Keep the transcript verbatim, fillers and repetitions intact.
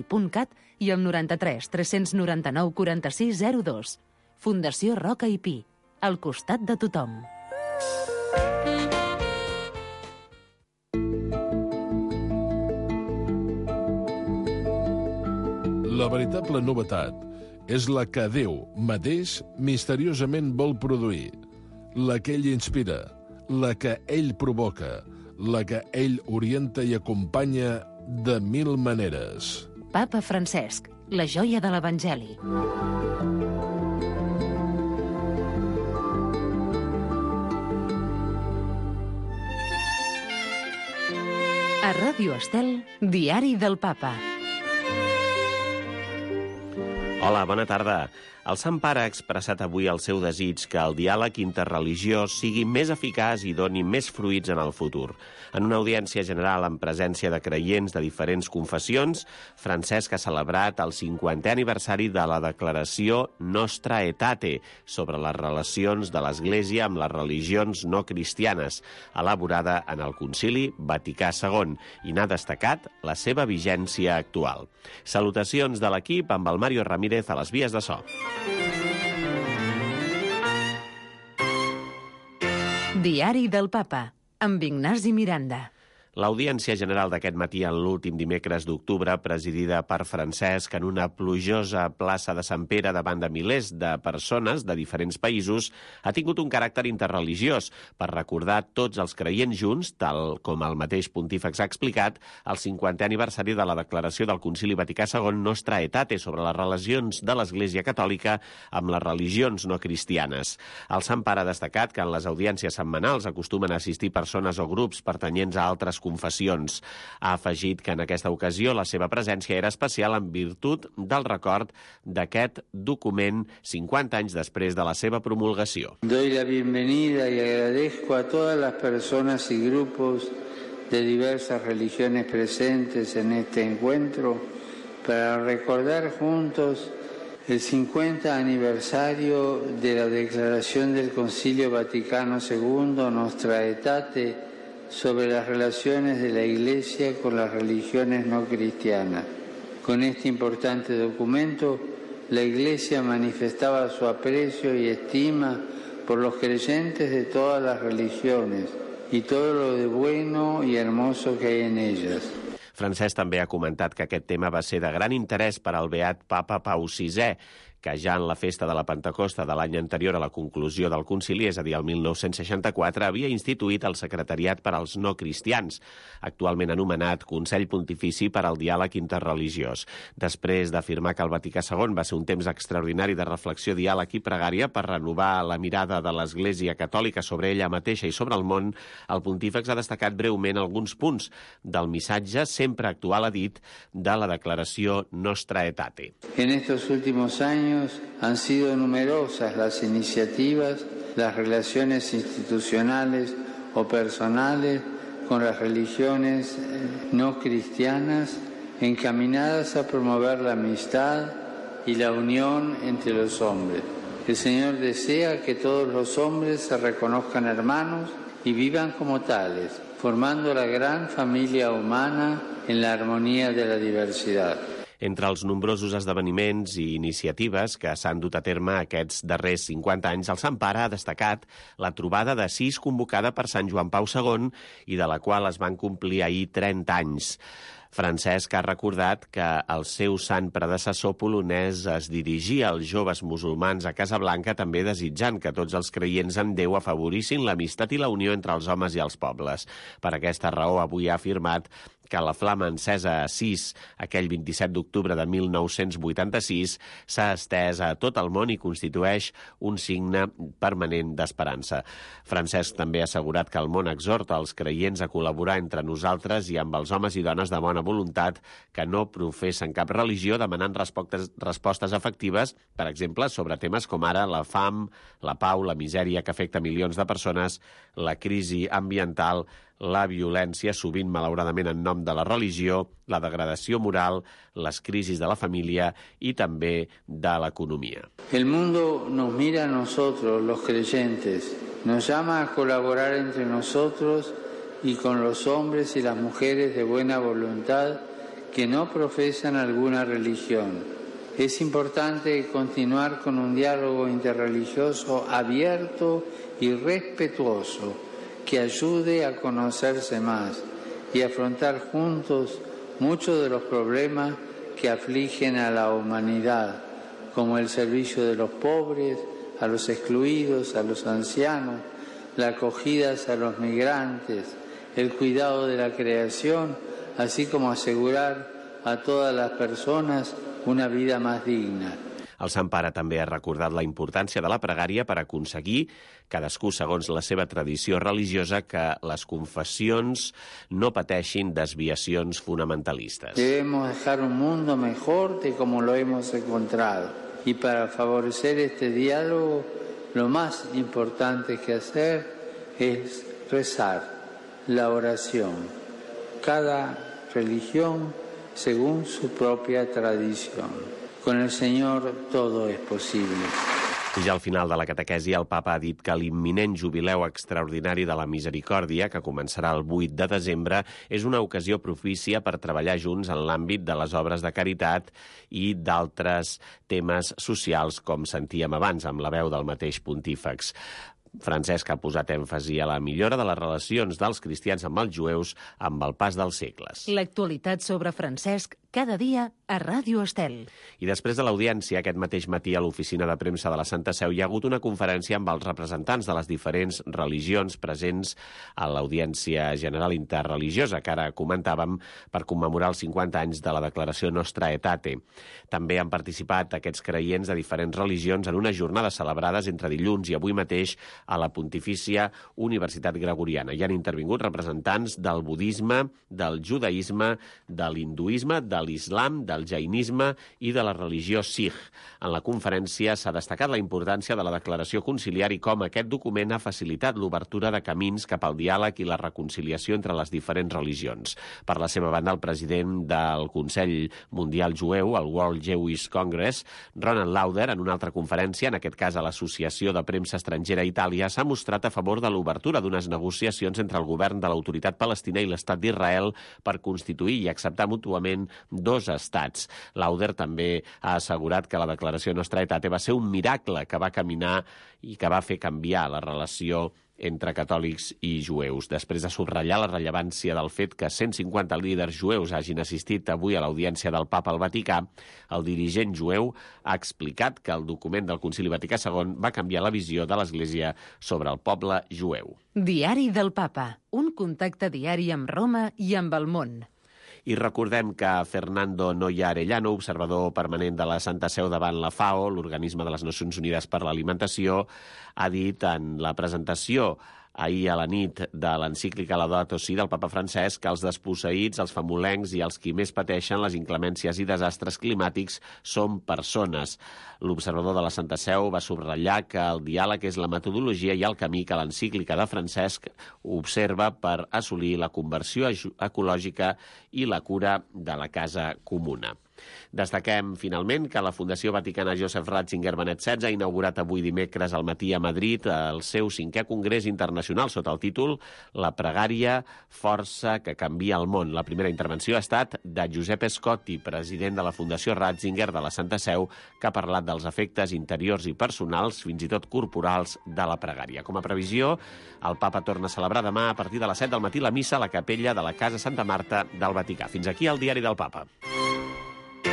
punt cat i al noranta-tres tres noranta-nou quaranta-sis zero dos. Fundació Roca i Pi, al costat de tothom. La veritable novetat és la que Déu mateix misteriosament vol produir, la que ell inspira, la que ell provoca, la que ell orienta i acompanya de mil maneres. Papa Francesc, la joia de l'Evangeli. A Ràdio Estel, Diari del Papa. Hola, bona tarda. El Sant Pare ha expressat avui el seu desig que el diàleg interreligiós sigui més eficaç i doni més fruits en el futur. En una audiència general en presència de creients de diferents confessions, Francesc ha celebrat el cinquantè aniversari de la declaració Nostra Aetate sobre les relacions de l'Església amb les religions no cristianes, elaborada en el Concili Vaticà segon, i n'ha destacat la seva vigència actual. Salutacions de l'equip amb el Mario Ramírez a les vies de so. Diari del Papa, amb Ignasi Miranda. L'audiència general d'aquest matí en l'últim dimecres d'octubre, presidida per Francesc en una plujosa plaça de Sant Pere davant de milers de persones de diferents països, ha tingut un caràcter interreligiós per recordar tots els creients junts, tal com el mateix pontífex ha explicat, el cinquantè aniversari de la declaració del Concili Vaticà segon Nostra Aetate sobre les relacions de l'Església Catòlica amb les religions no cristianes. El Sant Pare ha destacat que en les audiències setmanals acostumen a assistir persones o grups pertanyents a altres confessions. Ha afegit que en aquesta ocasió la seva presència era especial en virtut del record d'aquest document cinquanta anys després de la seva promulgació. Doy la bienvenida y agradezco a todas las personas y grupos de diversas religiones presentes en este encuentro para recordar juntos el cincuenta aniversario de la declaración del Concilio Vaticano segundo Nostra Aetate sobre las relaciones de la Iglesia con las religiones no cristianas. Con este importante documento, la Iglesia manifestaba su aprecio y estima por los creyentes de todas las religiones y todo lo de bueno y hermoso que hay en ellas. Francesc també ha comentat que aquest tema va ser de gran interès per al beat Papa Pau sisè, que ja en la festa de la Pentecosta de l'any anterior a la conclusió del concili, és a dir, el mil nou-cents seixanta-quatre, havia instituït el Secretariat per als No Cristians, actualment anomenat Consell Pontifici per al Diàleg Interreligiós. Després d'afirmar que el Vaticà segon va ser un temps extraordinari de reflexió, diàleg i pregària per renovar la mirada de l'Església Catòlica sobre ella mateixa i sobre el món, el pontífex ha destacat breument alguns punts del missatge sempre actual, ha dit, de la declaració Nostra Aetate. En estos últimos años han sido numerosas las iniciativas, las relaciones institucionales o personales con las religiones no cristianas encaminadas a promover la amistad y la unión entre los hombres. El Señor desea que todos los hombres se reconozcan hermanos y vivan como tales, formando la gran familia humana en la armonía de la diversidad. Entre els nombrosos esdeveniments i iniciatives que s'han dut a terme aquests darrers cinquanta anys, el Sant Pare ha destacat la trobada de sis convocada per Sant Joan Pau segon i de la qual es van complir ahir trenta anys. Francesc ha recordat que el seu sant predecessor polonès es dirigia als joves musulmans a Casablanca també desitjant que tots els creients en Déu afavorissin l'amistat i la unió entre els homes i els pobles. Per aquesta raó, avui ha afirmat que la flama encesa a Assís aquell vint-i-set d'octubre de mil nou-cents vuitanta-sis s'ha estès a tot el món i constitueix un signe permanent d'esperança. Francesc també ha assegurat que el món exhorta els creients a col·laborar entre nosaltres i amb els homes i dones de bona voluntat que no professen cap religió, demanant respostes, respostes efectives, per exemple, sobre temes com ara la fam, la pau, la misèria que afecta milions de persones, la crisi ambiental, la violència, sovint malauradament en nom de la religió, la degradació moral, les crisis de la família i també de l'economia. El mundo nos mira a nosotros, los creyentes, nos llama a colaborar entre nosotros y con los hombres y las mujeres de buena voluntad que no profesan alguna religión. Es importante continuar con un diálogo interreligioso abierto y respetuoso que ayude a conocerse más y afrontar juntos muchos de los problemas que afligen a la humanidad, como el servicio de los pobres, a los excluidos, a los ancianos, la acogida a los migrantes, el cuidado de la creación, así como asegurar a todas las personas una vida más digna. El Sant Pare també ha recordat la importància de la pregària per aconseguir, cadascú segons la seva tradició religiosa, que les confessions no pateixin desviacions fonamentalistes. Debemos dejar un mundo mejor de como lo hemos encontrado. Y para favorecer este diálogo, lo más importante que hacer es rezar, la oración. Cada religión según su propia tradición. Con el Señor todo es posible. I ja al final de la catequesi, el papa ha dit que l'imminent jubileu extraordinari de la Misericòrdia, que començarà el vuit de desembre, és una ocasió propícia per treballar junts en l'àmbit de les obres de caritat i d'altres temes socials, com sentíem abans amb la veu del mateix pontífex. Francesc ha posat èmfasi a la millora de les relacions dels cristians amb els jueus amb el pas dels segles. L'actualitat sobre Francesc cada dia a Ràdio Estel. I després de l'audiència, aquest mateix matí a l'oficina de premsa de la Santa Seu hi ha hagut una conferència amb els representants de les diferents religions presents a l'Audiència General Interreligiosa, que ara comentàvem, per commemorar els cinquanta anys de la declaració Nostra Aetate. També han participat aquests creients de diferents religions en unes jornades celebrades entre dilluns i avui mateix a la Pontifícia Universitat Gregoriana. Hi han intervingut representants del budisme, del judaïsme, de l'hinduisme, de l'islam, del jainisme i de la religió sikh. En la conferència s'ha destacat la importància de la declaració conciliar i com aquest document ha facilitat l'obertura de camins cap al diàleg i la reconciliació entre les diferents religions. Per la seva banda, el president del Consell Mundial Jueu, el World Jewish Congress, Ronald Lauder, en una altra conferència, en aquest cas a l'Associació de Premsa Estrangera a Itàlia, s'ha mostrat a favor de l'obertura d'unes negociacions entre el govern de l'autoritat palestina i l'Estat d'Israel per constituir i acceptar mútuament dos estats. Lauder també ha assegurat que la declaració Nostra Aetate va ser un miracle que va caminar i que va fer canviar la relació entre catòlics i jueus. Després de subratllar la rellevància del fet que cent cinquanta líders jueus hagin assistit avui a l'audiència del Papa al Vaticà, el dirigent jueu ha explicat que el document del Concili Vaticà segon va canviar la visió de l'Església sobre el poble jueu. Diari del Papa, un contacte diari amb Roma i amb el món. I recordem que Fernando Noya Arellano, observador permanent de la Santa Seu davant la FAO, l'Organisme de les Nacions Unides per l'Alimentació, ha dit en la presentació ahir a la nit de l'encíclica Laudato Si del papa Francesc que els desposseïts, els famolencs i els qui més pateixen les inclemències i desastres climàtics són persones. L'observador de la Santa Seu va subratllar que el diàleg és la metodologia i el camí que l'encíclica de Francesc observa per assolir la conversió ecològica i la cura de la casa comuna. Destaquem, finalment, que la Fundació Vaticana Joseph Ratzinger Benet setze ha inaugurat avui dimecres al matí a Madrid el seu cinquè congrés internacional sota el títol La pregària, força que canvia el món. La primera intervenció ha estat de Josep Scotti, president de la Fundació Ratzinger de la Santa Seu, que ha parlat dels efectes interiors i personals, fins i tot corporals, de la pregària. Com a previsió, el papa torna a celebrar demà a partir de les set del matí la missa a la capella de la Casa Santa Marta del Vaticà. Fins aquí el Diari del Papa.